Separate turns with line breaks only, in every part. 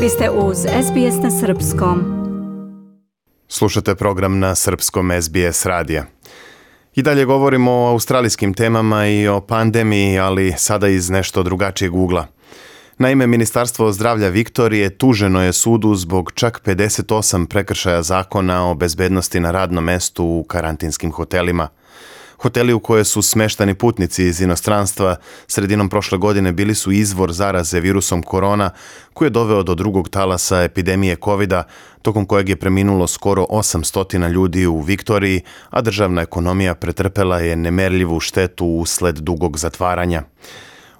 Vi ste uz SBS na Srpskom.
Slušate program na Srpskom SBS radija. I dalje govorimo o australijskim temama i o pandemiji, ali sada iz nešto drugačijeg ugla. Naime, Ministarstvo zdravlja Viktorije tuženo je sudu zbog čak 58 prekršaja zakona o bezbednosti na radnom mestu u karantinskim hotelima. Hoteli u koje su smeštani putnici iz inostranstva sredinom prošle godine bili su izvor zaraze virusom korona koji je doveo do drugog talasa epidemije covida, tokom kojeg je preminulo skoro 800 ljudi u Viktoriji, a državna ekonomija pretrpela je nemerljivu štetu usled dugog zatvaranja.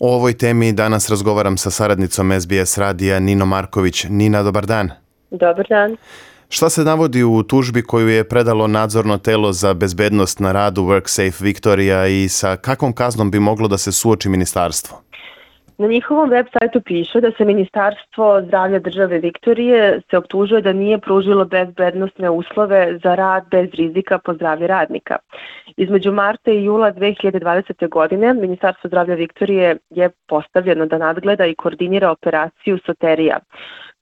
O ovoj temi danas razgovaram sa saradnicom SBS radija Ninom Marković. Nina, dobar dan.
Dobar dan.
Šta se navodi u tužbi koju je predalo nadzorno telo za bezbednost na radu WorkSafe Viktorija i sa kakvom kaznom bi moglo da se suoči ministarstvo?
Na njihovom web sajtu piše da se Ministarstvo zdravlja države Viktorije se optužuje da nije pružilo bezbednosne uslove za rad bez rizika po zdravlje radnika. Između marta i jula 2020. godine Ministarstvo zdravlja Viktorije je postavljeno da nadgleda i koordinira operaciju Soterija.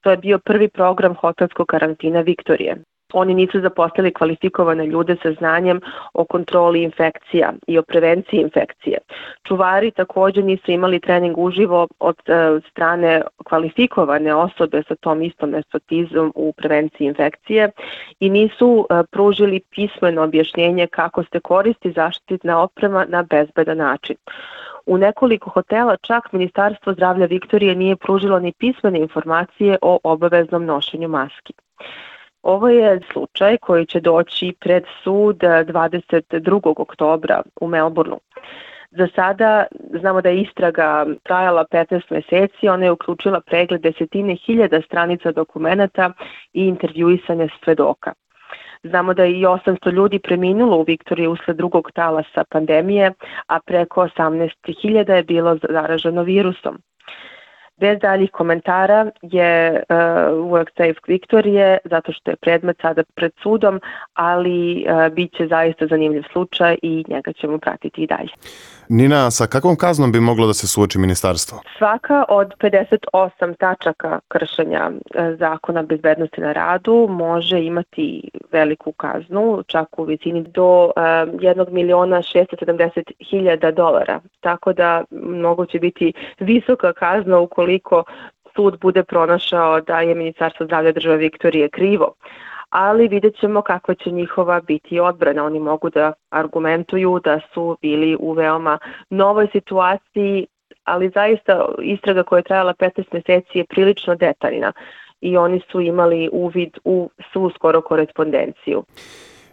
To je bio prvi program hotelskog karantina Viktorije. Oni nisu zaposlili kvalifikovane ljude sa znanjem o kontroli infekcija i o prevenciji infekcije. Čuvari također nisu imali trening uživo od strane kvalifikovane osobe sa tom istom ekspertizom u prevenciji infekcije i nisu pružili pismeno objašnjenje kako se koristi zaštitna oprema na bezbedan način. U nekoliko hotela čak Ministarstvo zdravlja Viktorije nije pružilo ni pismene informacije o obaveznom nošenju maski. Ovo je slučaj koji će doći pred sud 22. oktobra u Melbourneu. Za sada znamo da je istraga trajala 15 meseci, ona je uključila pregled desetine hiljada stranica dokumenata i intervjuisanje svedoka. Znamo da je i 800 ljudi preminulo u Viktoriji usled drugog talasa pandemije, a preko 18.000 je bilo zaraženo virusom. Bez daljih komentara je WorkSafe Viktorije, zato što je predmet sada pred sudom, ali bit će zaista zanimljiv slučaj i njega ćemo pratiti i dalje.
Nina, sa kakvom kaznom bi moglo da se suoči ministarstvo?
Svaka od 58 tačaka kršenja zakona bezbednosti na radu može imati veliku kaznu, čak u visini do $1.670.000. Tako da mnogo će biti visoka kazna ukoliko sud bude pronašao da je Ministarstvo zdravlja države Viktorije krivo. Ali vidjet ćemo kako će njihova biti odbrana. Oni mogu da argumentuju da su bili u veoma novoj situaciji, ali zaista istraga koja je trajala 15 meseci je prilično detaljna i oni su imali uvid u svu skoro korespondenciju.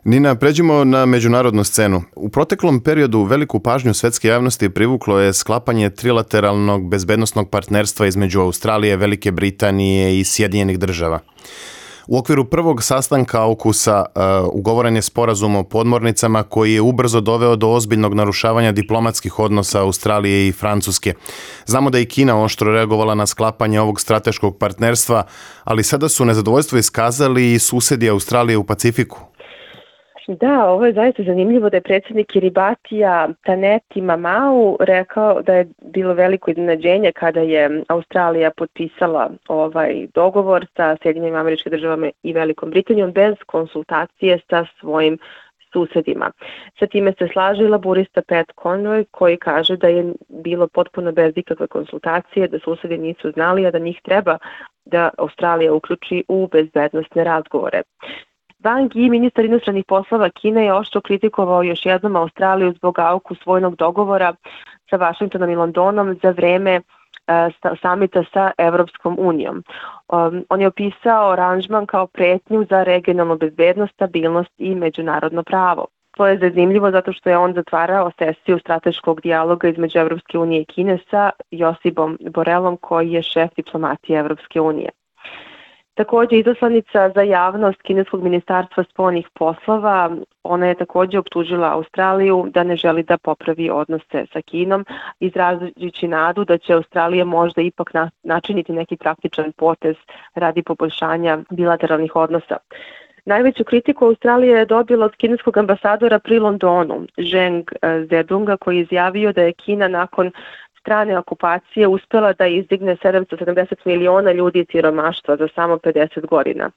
Nina, pređimo na međunarodnu scenu. U proteklom periodu veliku pažnju svetske javnosti privuklo je sklapanje trilateralnog bezbednosnog partnerstva između Australije, Velike Britanije i Sjedinjenih Država. U okviru prvog sastanka AUKUS-a ugovoren je sporazum o podmornicama koji je ubrzo doveo do ozbiljnog narušavanja diplomatskih odnosa Australije i Francuske. Znamo da je Kina oštro reagovala na sklapanje ovog strateškog partnerstva, ali sada su nezadovoljstvo iskazali i susedi Australije u Pacifiku.
Da, ovo je zaista zanimljivo da je predsjednik Kiribatija Taneti Mamau rekao da je bilo veliko iznenađenje kada je Australija potpisala ovaj dogovor sa Sjedinjenim Američkim Državama i Velikom Britanijom bez konsultacije sa svojim susedima. Sa time se slaže i laburista Pat Conroy koji kaže da je bilo potpuno bez ikakve konsultacije, da susedi nisu znali, a da njih treba da Australija uključi u bezbednosne razgovore. Wang Yi, ministar inostranih poslova Kine, je oštro kritikovao još jednom Australiju zbog AUKUS vojnog dogovora sa Vašingtonom i Londonom za vreme samita sa Evropskom unijom. On je opisao aranžman kao pretnju za regionalnu bezbednost, stabilnost i međunarodno pravo. To je zanimljivo zato što je on zatvarao sesiju strateškog dijaloga između Evropske unije i Kine sa Josipom Borelom koji je šef diplomatije Evropske unije. Također, izaslanica za javnost kineskog ministarstva spoljnih poslova, ona je također optužila Australiju da ne želi da popravi odnose sa Kinom, izražujući nadu da će Australija možda ipak načiniti neki praktičan potez radi poboljšanja bilateralnih odnosa. Najveću kritiku Australija je dobila od kineskog ambasadora pri Londonu, Zheng Zedunga, koji je izjavio da je Kina nakon strane okupacije uspela da izdigne 770 miliona ljudi iz siromaštva za samo 50 godina.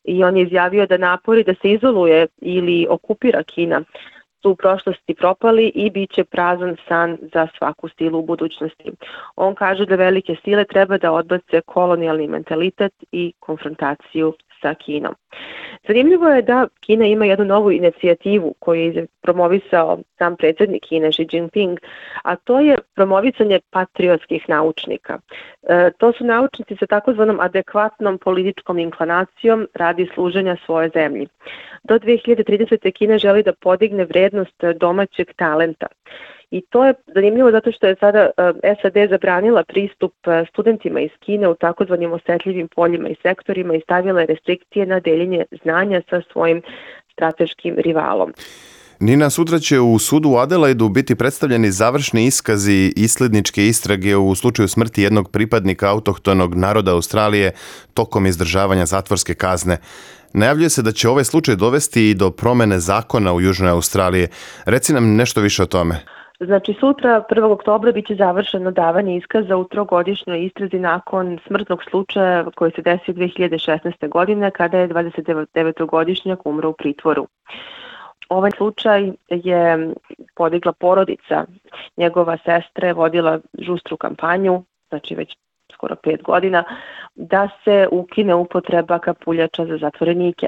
I on je izjavio da napori da se izoluje ili okupira Kina su u prošlosti propali i bit će prazan san za svaku silu u budućnosti. On kaže da velike sile treba da odbace kolonijalni mentalitet i konfrontaciju sa Kinom. Zanimljivo je da Kina ima jednu novu inicijativu koju je promovisao sam predsjednik Kine Xi Jinping, a to je promovisanje patriotskih naučnika. To su naučnici sa takozvanom adekvatnom političkom inklinacijom radi služenja svoje zemlji. Do 2030. Kina želi da podigne vrednost domaćeg talenta. I to je zanimljivo zato što je sada SAD zabranila pristup studentima iz Kine u takozvanim osetljivim poljima i sektorima i stavila je restrikcije na deljenje znanja sa svojim strateškim rivalom.
Nina, sutra će u sudu u Adelaidu biti predstavljeni završni iskazi isledničke istrage u slučaju smrti jednog pripadnika autohtonog naroda Australije tokom izdržavanja zatvorske kazne. Najavljuje se da će ovaj slučaj dovesti i do promene zakona u Južnoj Australiji. Reci nam nešto više o tome.
Znači, sutra, 1. oktobra, biće završeno davanje iskaza u 3-godišnjoj istrazi nakon smrtnog slučaja koji se desio 2016. godine kada je 29-godišnjak umro u pritvoru. Ovaj slučaj je podigla porodica. Njegova sestra je vodila žustru kampanju, znači već skoro 5 godina, da se ukine upotreba kapuljača za zatvorenike.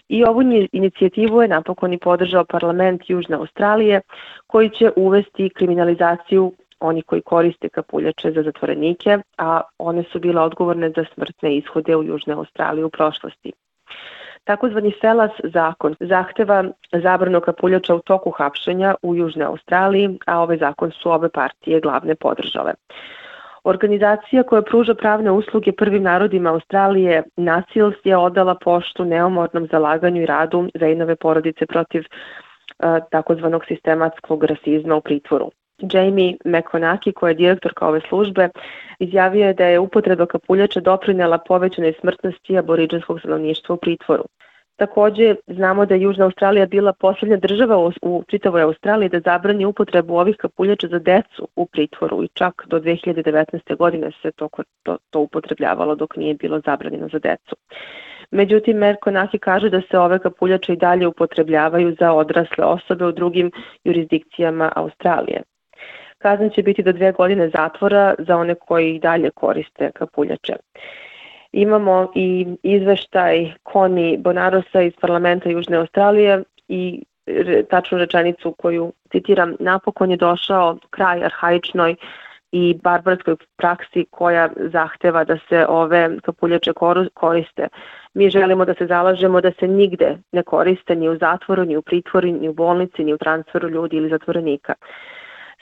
I ovu inicijativu je napokon i podržao parlament Južne Australije, koji će uvesti kriminalizaciju oni koji koriste kapuljače za zatvorenike, a one su bile odgovorne za smrtne ishode u Južnoj Australiji u prošlosti. Takozvani FELAS zakon zahteva zabranu kapuljača u toku hapšenja u Južnoj Australiji, a ovaj zakon su obe partije glavne podržale. Organizacija koja pruža pravne usluge prvim narodima Australije, NACILS, je odala poštu neumornom zalaganju i radu Zainove porodice protiv takozvanog sistematskog rasizma u pritvoru. Jamie McConaughey, koja je direktorka ove službe, izjavio je da je upotreba kapuljača doprinela povećanoj smrtnosti aboridžinskog stanovništva u pritvoru. Takođe, znamo da je Južna Australija bila posljednja država u čitavoj Australiji da zabrani upotrebu ovih kapuljača za decu u pritvoru i čak do 2019. godine se to upotrebljavalo dok nije bilo zabranjeno za decu. Međutim, McConaughey kaže da se ove kapuljače i dalje upotrebljavaju za odrasle osobe u drugim jurisdikcijama Australije. Kazna će biti do 2 godine zatvora za one koji i dalje koriste kapuljače. Imamo i izveštaj Connie Bonarosa iz parlamenta Južne Australije i tačnu rečenicu koju citiram: napokon je došao kraj arhaičnoj i barbarskoj praksi koja zahteva da se ove kapuljače koriste. Mi želimo da se zalažemo da se nigde ne koriste, ni u zatvoru, ni u pritvoru, ni u bolnici, ni u transferu ljudi ili zatvorenika.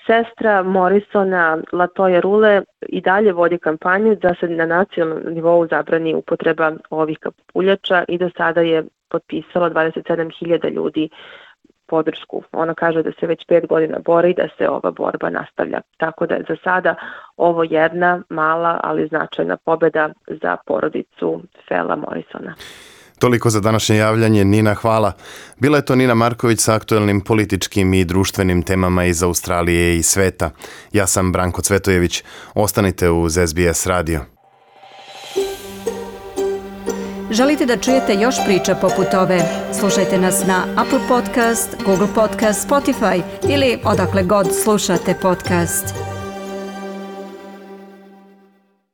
Sestra Morrisona, Latoya Rule, i dalje vodi kampanju da se na nacionalnom nivou zabrani upotreba ovih kapuljača i do sada je potpisalo 27.000 ljudi podršku. Ona kaže da se već 5 godina bori i da se ova borba nastavlja. Tako da je za sada ovo jedna mala, ali značajna pobjeda za porodicu Fela Morrisona.
Toliko za današnje javljanje. Nina, hvala. Bila je to Nina Marković sa aktuelnim političkim i društvenim temama iz Australije i sveta. Ja sam Branko Cvetojević. Ostanite uz SBS radio.
Želite da čujete još priča poput ove? Slušajte nas na Apple Podcast, Google Podcast, Spotify ili odakle god slušate podcast.